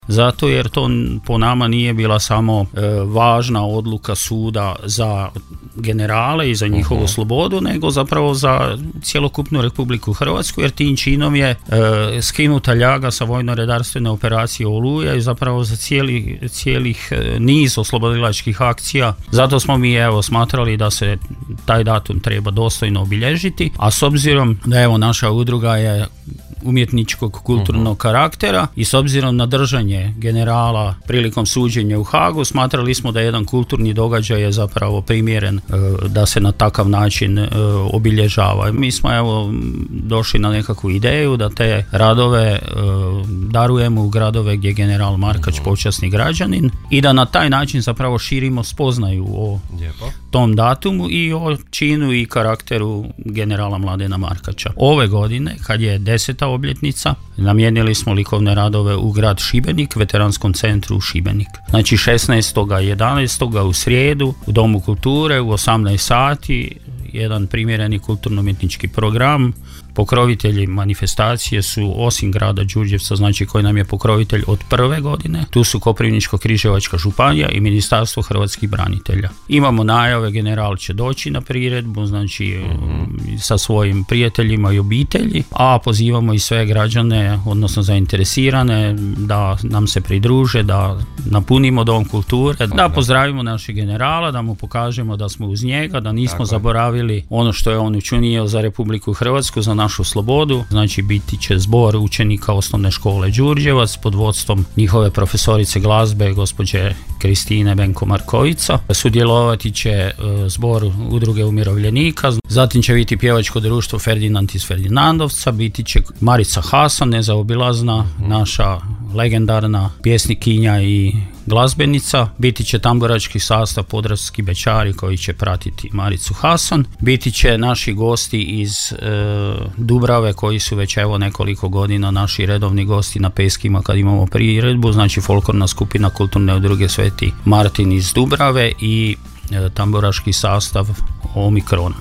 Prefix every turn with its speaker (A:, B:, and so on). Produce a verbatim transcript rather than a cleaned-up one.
A: zato jer to po nama nije bila samo e, važna odluka suda za generale i za njihovu uh-huh. slobodu, nego zapravo za cjelokupnu Republiku Hrvatsku, jer tim činom je e, skinuta ljaga sa vojno-redarstvene operacije Oluja i zapravo za cijeli, cijelih e, niz oslobodilačkih akcija. Zato smo mi evo smatrali da se taj datum treba dostojno obilježiti, a s obzirom da evo naša udruga je umjetničkog kulturnog uh-huh. karaktera i s obzirom na držanje generala prilikom suđenja u Hagu, smatrali smo da jedan kulturni događaj je zapravo primjeren e, da se na takav način e, obilježava. Mi smo evo došli na nekakvu ideju da te radove e, darujemo u gradove gdje je general Markač uh-huh. počasni građanin i da na taj način zapravo širimo spoznaju o Lijepo. tom datumu i o činu i karakteru generala Mladena Markača. Ove godine, kad je deseta obljetnica, namijenili smo likovne radove u grad Šibenik, veteranskom centru Šibenik. Znači šesnaestog jedanaestog u srijedu u Domu kulture u osamnaest sati, jedan primjereni kulturno-umjetnički program. Pokrovitelji manifestacije su osim grada Đurđevca, znači koji nam je pokrovitelj od prve godine, tu su Koprivničko-križevačka županija i Ministarstvo hrvatskih branitelja. Imamo najave, general će doći na priredbu, znači mm-hmm. sa svojim prijateljima i obitelji, a pozivamo i sve građane, odnosno zainteresirane, da nam se pridruže, da napunimo Dom kulture, da pozdravimo našeg generala, da mu pokažemo da smo uz njega, da nismo Tako zaboravili ono što je on učinio za Republiku Hrvatsku, za našu slobodu. Znači biti će zbor učenika osnovne škole Đurđevac pod vodstvom njihove profesorice glazbe gospođe Kristine Benko Markovica. Sudjelovati će uh, zbor udruge umirovljenika, zatim će biti pjevačko društvo Ferdinand iz Ferdinandovca, biti će Marica Hasan, nezaobilazna, naša legendarna pjesnikinja i glazbenica, biti će tamburački sastav Podravski Bećari koji će pratiti Maricu Hasan, biti će naši gosti iz e, Dubrave koji su već evo nekoliko godina naši redovni gosti na peskima kad imamo priredbu, znači folklorna skupina kulturne udruge Sveti Martin iz Dubrave i e, tamburaški sastav Omikron.